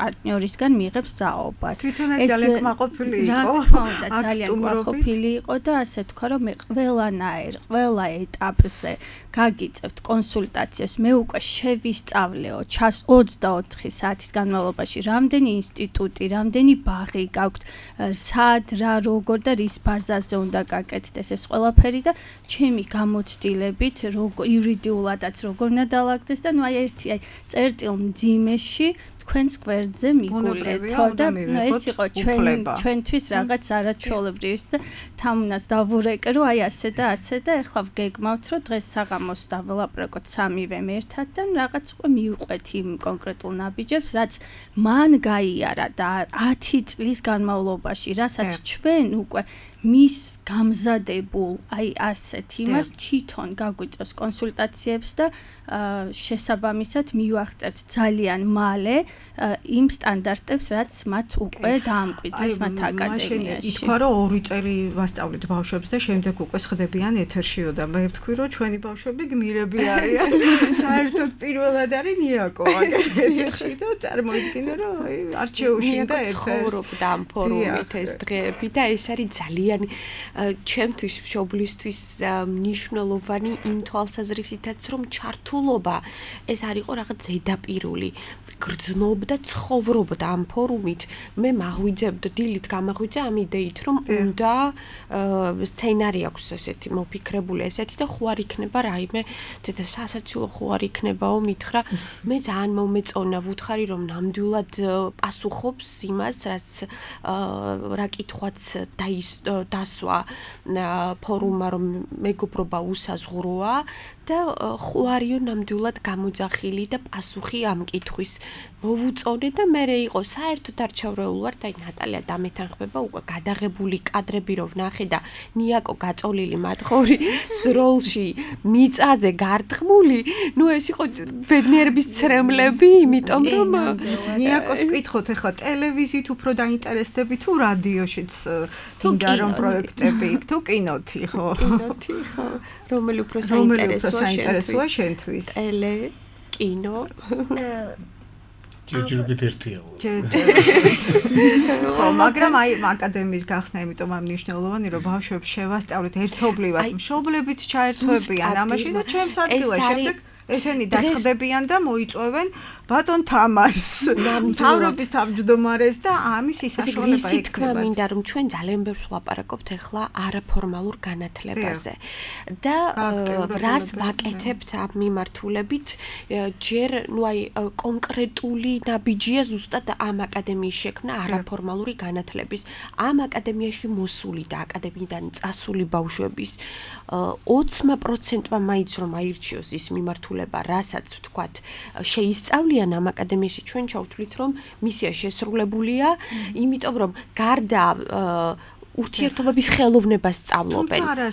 Speaker 3: პარტნიორისგან მიიღებს მზაობას.
Speaker 2: თვითონაც ძალიან კმაყოფილი იყო.
Speaker 3: რა თქმა უნდა, ძალიან კმაყოფილი იყო და ასე თქვა, რომ მე ყველანაირ, ყველა ეტაპზე გაგიწევთ კონსულტაციას, მე უკვე შევისწავლეო 24 საათის განმავლობაში, რამდენი ინსტიტუტი, რამდენი ბაღი გაქვთ, სად, რა, როგორ და რის ბაზაზე უნდა გაკეთდეს ეს ყველაფერი და ჩემი გამოცდილებით, იურიდიულადაც როგორ უნდა დაალაგდეს და ნუ აი ერთი წერტილ მძიმეში თქვენს გვერდზე მიგულეთო და ეს იყო ჩვენთვის რაღაც არაჩვეულებრივი და თამუნას დავურეკე რომ აი ასე და ეხლა ვგეგმავთ რომ დღეს საღამოს დაველაპარაკოთ სამივე ერთად და რაღაც უკვე მივყვეთ იმ კონკრეტულ ნაბიჯებს რაც მან გაიარა და 10 წლის განმავლობაში რასაც ჩვენ უკვე მის გამზადებულ აი ასეთ იმას თვითონ გაგვიწევს კონსულტაციებს და შესაბამისად მივახწერთ ძალიან მალე იმ სტანდარტებს რაც მათ უკვე დაამკვიდრეს მათ აკადემიაში.
Speaker 2: ითქვა რომ 2 წელი ვასწავლეთ ბავშვებს და შემდეგ უკვე ხდებიან ეთერშიო და მე ვთქვი რომ ჩვენი ბავშვები გმირები არიან. საერთოდ პირველად არის ნიაკო ეთერში და წარმოიდგინე რომ არჩეუში და
Speaker 7: ცხოვრობდა ამ ფორუმით ეს დღეები და ეს არის ძალიან ძალიან ჩემთვის მშობლისთვის მნიშვნელოვანი იმ თვალსაზრისითაც რომ ჩართულობა ეს არ იყო რაღაც ზედაპირული გრძნობდა ცხოვრობდა ამ ფორუმით მე მაღვიძებდა დილით გამაღვიძა ამ იდეით რომ უნდა სცენარი აქვს ესეთი მოფიქრებული ესეთი და ხო არ იქნება რაიმე ცოტა სასაცილო ხო არ იქნებაო მითხრა მე ძალიან მომეწონა ვუთხარი რომ ნამდვილად პასუხობს იმას რაც რა კითხვაც დასვა ფორუმმა რომ მეგობრობა უსაზღვროა და ხო არიო ნამდვილად გამოძახილი და პასუხი ამ კითხვის მოვუწონე და მე იყო საერთოდ არ ჩავრეულ ვარ და ნატალია დამეთანხმება უკვე გადაღებული კადრები რო ვნახე და ნიაკო გაწოლილი მათხოვრი როლში მიწაზე გართხმული ნუ ეს იყო ბედნიერების ცრემლები იმიტომ რომ
Speaker 2: ნიაკოს კითხოთ ახლა ტელევიზიით უფრო დაინტერესდები თუ რადიოშიც თუნდა რომ პროექტები თუ კინოთი ხო
Speaker 7: კინოთი ხო რომელი უფრო საინტერესოა შენთვის ტელე კინო
Speaker 4: ჯერჯერობით ერთია.
Speaker 2: ხო, მაგრამ აი აკადემიის გახსნა იმიტომ ამ მნიშვნელოვანი რომ ბავშვებს შევასწავლეთ ერთობლივად მშობლებიც ჩაერთვებიან ამაში და ჩემს ადგილას შემდეგ ესენი დასხდებიან და მოიწვევენ ბატონ თამარს მთავრობის თავმჯდომარეს და ამის ისაშუალება
Speaker 7: ისიც თქმა მინდა რომ ჩვენ ძალიან ბევრს ვლაპარაკობთ ახლა არაფორმალურ განათლებაზე და რას ვაკეთებთ ამ მიმართულებით ჯერ ნუ აი კონკრეტული ნაბიჯია ზუსტად ამ აკადემიის შექმნა არაფორმალური განათლების ამ აკადემიაში მოსული და აკადემიიდან წასული ბავშვების 20%-მა მაინც რომ აირჩიოს ის მიმართულება რასაც ვთქვათ შეისწავლიან ამ აკადემიაში ჩვენ ჩავთვლით რომ მისია შესრულებულია იმიტომ რომ გარდა ურთიერთობების ხელოვნებას სწავლობენ.
Speaker 2: თუმცა არა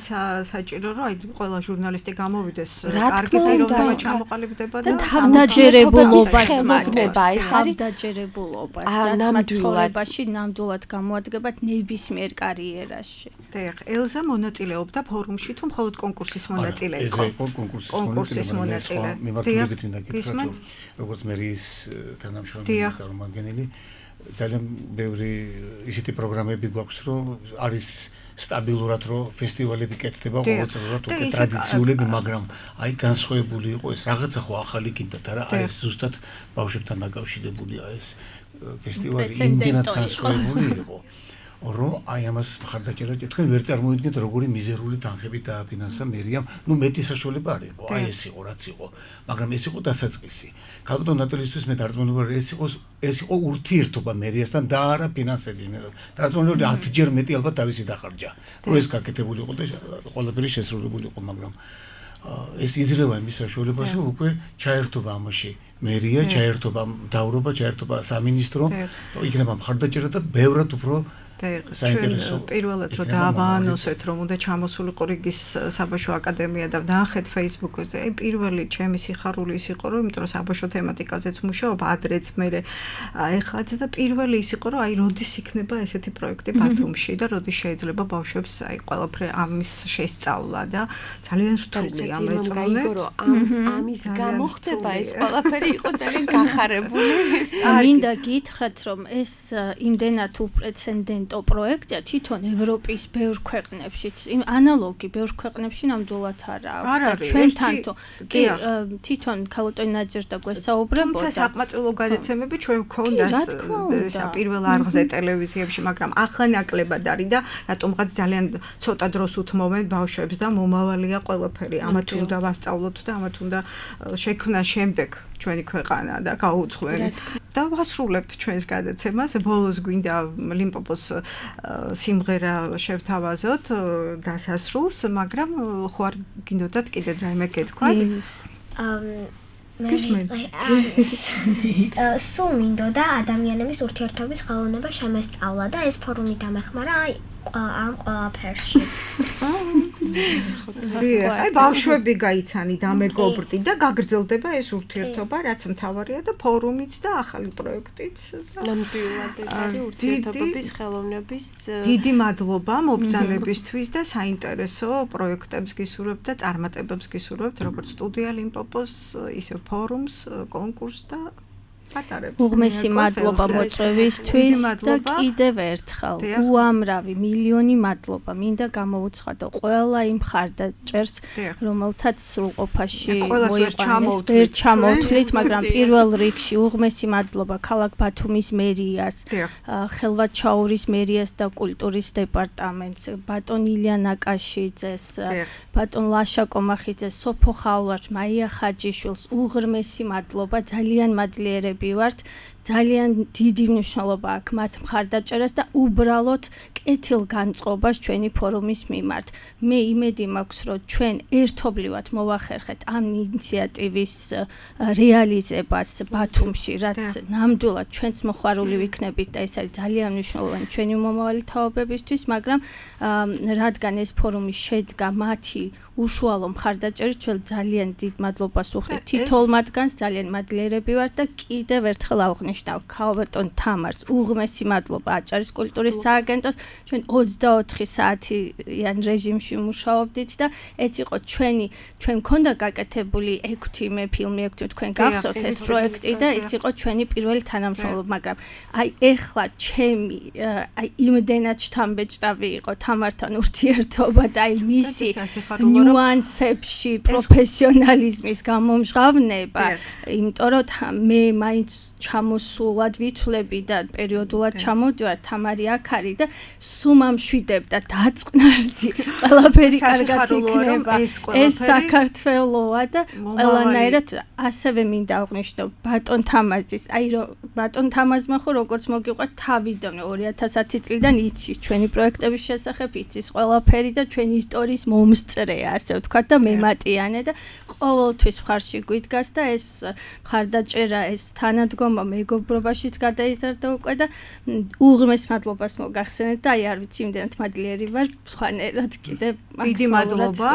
Speaker 2: საჭირო რომ აი ყველა ჟურნალისტი გამოვიდეს კარგი პიროვნება ჩამოყალიბდება და
Speaker 3: თავდაჯერებულობას მატება ეს არის თავდაჯერებულობას რაც მათ ცხოვრებაში ნამდვილად გამოადგება ნებისმიერ კარიერაში.
Speaker 2: დიახ, ელზა მონაწილეობდა ფორუმში თუ მხოლოდ კონკურსის მონაწილე იყო?
Speaker 4: ეს იყო კონკურსის მონაწილე. მიმართულებით მინდა გითხრათ რომ როგორც მერის თანამშრომელი წარმომადგენელი ძალიან ბევრი ისეთი პროგრამები გვაქვს, რომ არის სტაბილურად რომ ფესტივალები კეთდება ყოველწლიურად უკვე ტრადიციულები, მაგრამ აი განსხვავებული იყო ეს რაღაცა ხო ახალი გინდათ არა, აი ეს ზუსტად ბავშვებთან დაკავშირებულია ეს ფესტივალი იმდენად განსხვავებული იყო. რომ აი ამას მხარდაჭერა თქვენ ვერ წარმოიდგენთ როგორი მიზერული თანხები დააფინანსა მერიამ, ნუ მეტი საშუალება არ იყო, აი ეს იყო რაც იყო, მაგრამ ეს იყო დასაწყისი. ქალბატონ ნატალისთვის მე დარწმუნებული ვარ, ეს იყო ურთიერთობა მერიასთან და არა ფინანსები. დარწმუნებული 10-ჯერ მეტი ალბათ თავისი დახარჯა. რომ ეს გაკეთებული იყო და ყველაფერი შესრულებული იყო, მაგრამ ეს იძლევა იმის საშუალებას, რომ უკვე ჩაერთობა ამაში მერია, ჩაერთობა მთავრობა, ჩაერთობა სამინისტრო, იქნება მხარდაჭერა და ბევრად უფრო
Speaker 2: საინტერესო პირველად რომ დაავანოსეთ რომ უნდა ჩამოსულიყო რიგის საბავშვო აკადემია და ვნახეთ Facebook-ზე აი პირველი ჩემი სიხარული ის იყო რომ იმიტომ რომ საბავშვო თემატიკაზეც მუშაობ ადრეც მე ეხლაც და პირველი ის იყო რომ აი როდის იქნება ესეთი პროექტი ბათუმში და როდის შეიძლება ბავშვებს აი ყველაფერი ამის შესწავლა და ძალიან რთულია მეწონე
Speaker 7: ამის გამო ხდება ეს ყველაფერი იყო ძალიან გახარებული
Speaker 3: მინდა გითხრათ რომ ეს იმდენად უპრეცედენტო პროექტია თვითონ ევროპის ბევრ ქვეყნებშიც იმ ანალოგი ბევრ ქვეყნებში ნამდვილად არა აქვს და ჩვენთან თვითონ ქალბატონი ნაძერდა გვესაუბრებოდა
Speaker 2: თუმცა საკმაწყვილო გადაცემები ჩვენ გვქონდას პირველ არხზე ტელევიზიებში მაგრამ ახლა ნაკლებად არის და რატომღაც ძალიან ცოტა დროს უთმობენ ბავშვებს და მომავალია ყველაფერი ამათ უნდა ვასწავლოთ და ამათ უნდა შექმნა შემდეგ ჩვენი ქვეყანა და გაუძღვენ და ვასრულებთ ჩვენს გადაცემას ბოლოს გვინდა ლიმპოპოს სიმღერა შევთავაზოთ დასასრულს მაგრამ ხო არ გინდოდათ კიდე რაიმე გეთქვათ
Speaker 6: სულ მინდოდა ადამიანების ურთიერთობის ხელოვნება შემესწავლა და ეს ფორუმი დამეხმარა ამ ყველაფერში.
Speaker 2: აი ბავშვები გაიცანი და მეგობრდი და გაგრძელდება ეს ურთიერთობა, რაც მთავარია და ფორუმიც და ახალი პროექტიც.
Speaker 7: ნამდვილად ეს არის ურთიერთობების ხელოვნების
Speaker 2: დიდი მადლობა მობრძანებისთვის და საინტერესო პროექტებს გისურვებთ და წარმატებებს გისურვებთ როგორც სტუდია ლიმპოპოს, ისე ფორუმს, კონკურსს და
Speaker 3: უღმესი მადლობა მოწვევისთვის და კიდევ ერთხელ უამრავი მილიონი მადლობა მინდა გამოვუცხადო ყველა იმ მხარდაჭერს რომელთაც სრულყოფაში მოიყვანეს ვერ ჩამოვთვლით მაგრამ პირველ რიგში უღმესი მადლობა ქალაქ ბათუმის მერიას ხელვაჩაურის მერიას და კულტურის დეპარტამენტს ბატონ ილია ნაკაშიძეს ბატონ ლაშა კომახიძეს სოფო ხალვაშ მაია ხაჯიშვილს უღრმესი მადლობა ძალიან მადლიერები ვართ ძალიან დიდი მნიშვნელობა აქვს მათ მხარდაჭერას და უბრალოდ კეთილ განწყობას ჩვენი ფორუმის მიმართ. მე იმედი მაქვს, რომ ჩვენ ერთობლივად მოვახერხეთ ამ ინიციატივის რეალიზებას ბათუმში, რაც ნამდვილად ჩვენც მოხარული ვიქნებით და ეს არის ძალიან მნიშვნელოვანი ჩვენი მომავალი თაობებისთვის, მაგრამ რადგან ეს ფორუმი შედგა მათი უშუალო მხარდაჭერით, ჩვენ ძალიან დიდ მადლობას ვუხდით თითოეულ მათგანს, ძალიან მადლიერები ვართ და კიდევ ერთხელ აღნიშნავ ქალბატონ თამარს უღმესი მადლობა აჭარის კულტურის სააგენტოს. ჩვენ 24 საათიან რეჟიმში მუშაობდით და ეს იყო ჩვენ მქონდა გაკეთებული 6 მე ფილმი 6 თქვენ გახსოვთ ეს პროექტი და ეს იყო ჩვენი პირველი თანამშრომლობა, მაგრამ აი ეხლა ჩემი აი იმდენად შთამბეჭდავი იყო თამართან ურთიერთობა და აი მისი ნიუანსებში პროფესიონალიზმის გამომჟღავნება, იმიტომ რომ მე მაინც ჩამოსულად ვითვლები და პერიოდულად ჩამოვდივარ თამარი აქ არის და სუმამშვიდებ და დაწყნარდი ყველაფერი კარგად იქნება ეს საქართველოა და ყველანაირად ასევე მინდა აღვნიშნო ბატონ თამაზის აი რომ ბატონ თამაზმა ხო როგორც მოგიყვეთ თავიდან 2010 წლიდან იცის ჩვენი პროექტების შესახებ იცის ყველაფერი და ჩვენი ისტორიის მომსწრეა ასე ვთქვათ და მემატიანე და ყოველთვის მხარში გვიდგას და ეს მხარდაჭერა ეს თანადგომა მეგობრობაშიც გადაიზარდა უკვე და უღრმეს მადლობას მოგახსენეთ და აი არ ვიცი იმდენად მადლიერი ვარ სხვანაირად კიდე
Speaker 2: დიდი მადლობა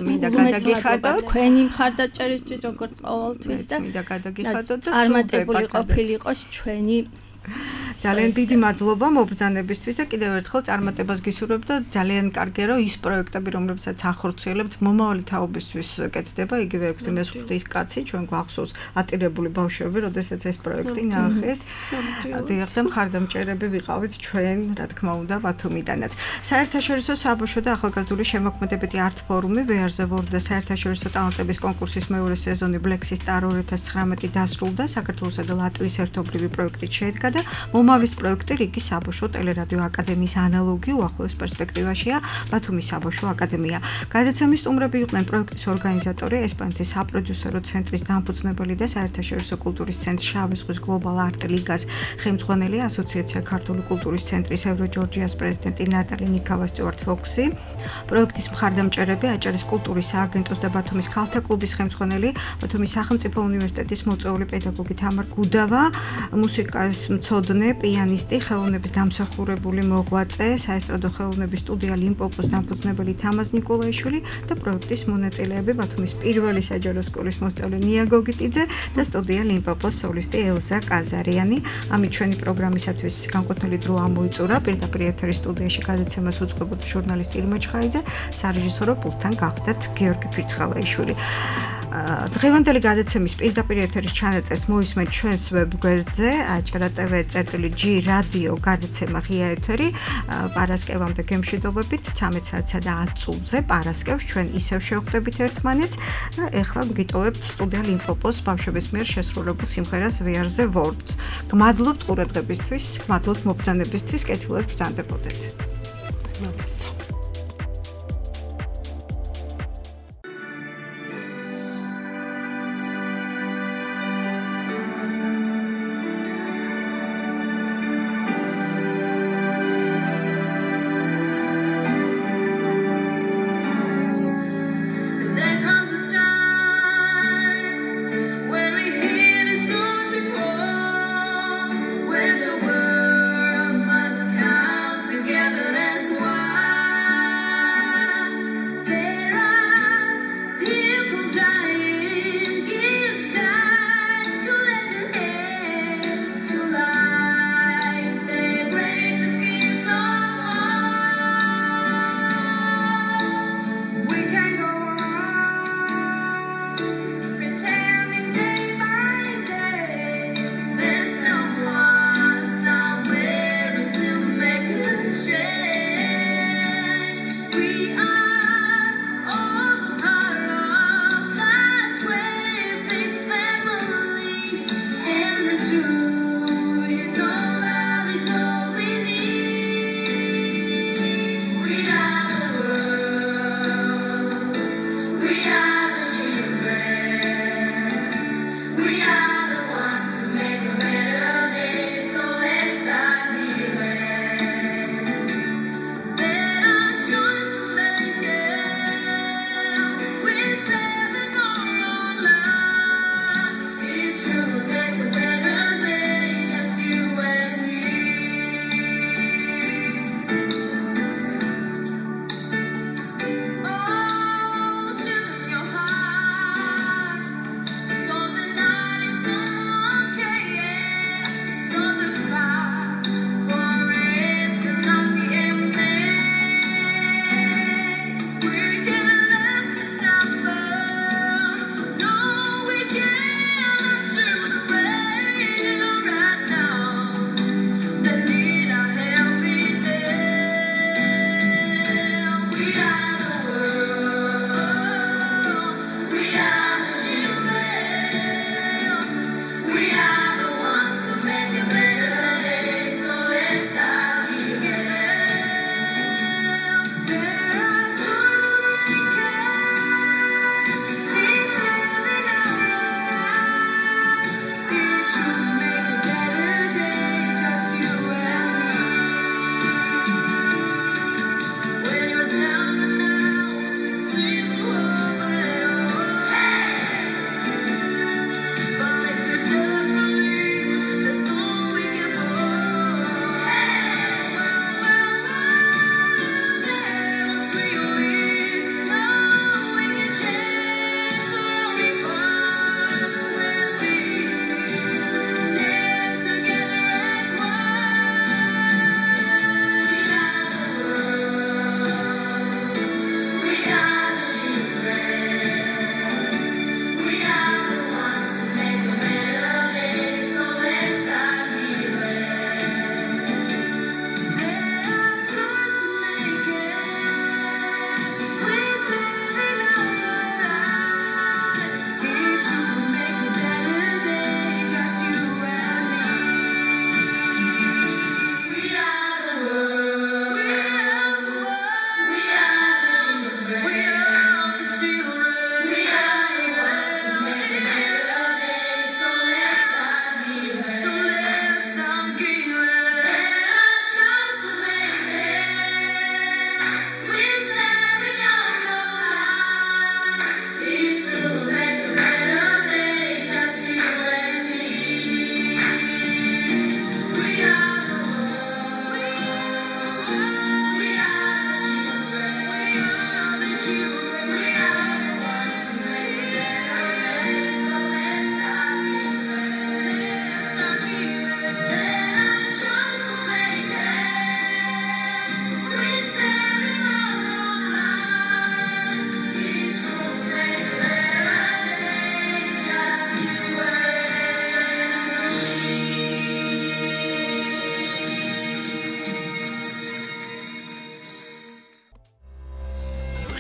Speaker 2: მინდა გადაგიხადოთ
Speaker 3: თქვენი მხარდაჭერისთვის როგორც ყოველთვის და
Speaker 2: მინდა გადაგიხადოთ და
Speaker 3: წარმატებული ყოფილიყოს ჩვენი
Speaker 2: ძალიან დიდი მადლობა მობრძანებისთვის და კიდევ ერთხელ წარმატებას გისურვებ და ძალიან კარგია რომ ის პროექტები რომლებსაც ახორციელებთ მომავალი თაობისთვის კეთდება იგივე 6 კაცი ჩვენ გვახსოვს ატირებული ბავშვები როდესაც ეს პროექტი ნახეს დიახ და მხარდამჭერები ვიყავით ჩვენ რა თქმა უნდა ბათუმიდანაც საერთაშორისო საბავშვო და ახალგაზრდული შემოქმედებითი არტ ფორუმი VR-ზე ვორდ და საერთაშორისო ტალანტების კონკურსის მეორე სეზონი Black Star 2019 დასრულდა საქართველოსა და ლატვიის ერთობლივი პროექტით შედგა და მომავლის პროექტი რიგი საბავშვო ტელერადიო აკადემიის ანალოგი უახლოეს პერსპექტივაშია ბათუმის საბავშვო აკადემია. გადაცემის სტუმრები იყვნენ პროექტის ორგანიზატორი ესპანეთის საპროდიუსერო ცენტრის დამფუძნებელი და საერთაშორისო კულტურის ცენტრის შავი ზღვის გლობალ არტ ლიგას ხელმძღვანელი ასოციაცია ქართული კულტურის ცენტრის ევროჯორჯიას პრეზიდენტი ნატალი ნიკავა სტიუარტ ფოქსი, პროექტის მხარდამჭერები აჭარის კულტურის სააგენტოს და ბათუმის ქალთა კლუბის ხელმძღვანელი, ბათუმის სახელმწიფო უნივერსიტეტის მოწვეული პედაგოგი თამარ გუდავა, მუსიკას მცოდნე, პიანისტი, ხელოვნების დამსახურებული მოღვაწე, საესტრადო ხელოვნების სტუდია ლიმპოპოს დამფუძნებელი თამაზ ნიკოლაიშვილი და პროექტის მონაწილეები ბათუმის პირველი საჯარო სკოლის მოსწავლე ნია გოგიტიძე და სტუდია ლიმპოპოს სოლისტი ელზა კაზარიანი. ამით ჩვენი პროგრამისათვის განკუთვნილი დრო ამოიწურა. პირდაპირ ეთერის სტუდიაში გადაცემას უძღვებოდა ჟურნალისტი ირმა ჩხაიძე, სარეჟისორო პულტთან გახდათ გიორგი ფირცხალაიშვილი. დღევანდელი გადაცემის პირდაპირ ეთერის ჩანაწერს მოისმენთ ჩვენს ვებგვერდზე aachara.tv/g რადიო გადაცემა ღია ეთერი პარასკევამდე გემშვიდობებით 13 საათსა და 10 წუთზე პარასკევს ჩვენ ისევ შევხვდებით ერთმანეთს და ეხლა გიტოვებთ სტუდია ლიმპოპოს ბავშვების მიერ შესრულებულ სიმღერას VR-ზე ვორდ. გმადლობთ ყურადღებისთვის, გმადლობთ მობრძანებისთვის, კეთილად ბრძანდებოდეთ.
Speaker 12: Where the world must come together as one.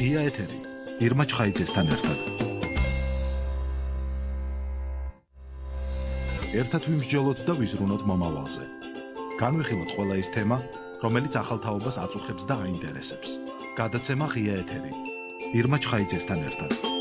Speaker 1: ღია ეთერი ირმა ჩხაიძესთან ერთად. ერთად ვიმსჯელოთ და ვიზრუნოთ მომავალზე. განვიხილოთ ყველა ის თემა, რომელიც ახალ თაობას აწუხებს და აინტერესებს. გადაცემა ღია ეთერი ირმა ჩხაიძესთან ერთად.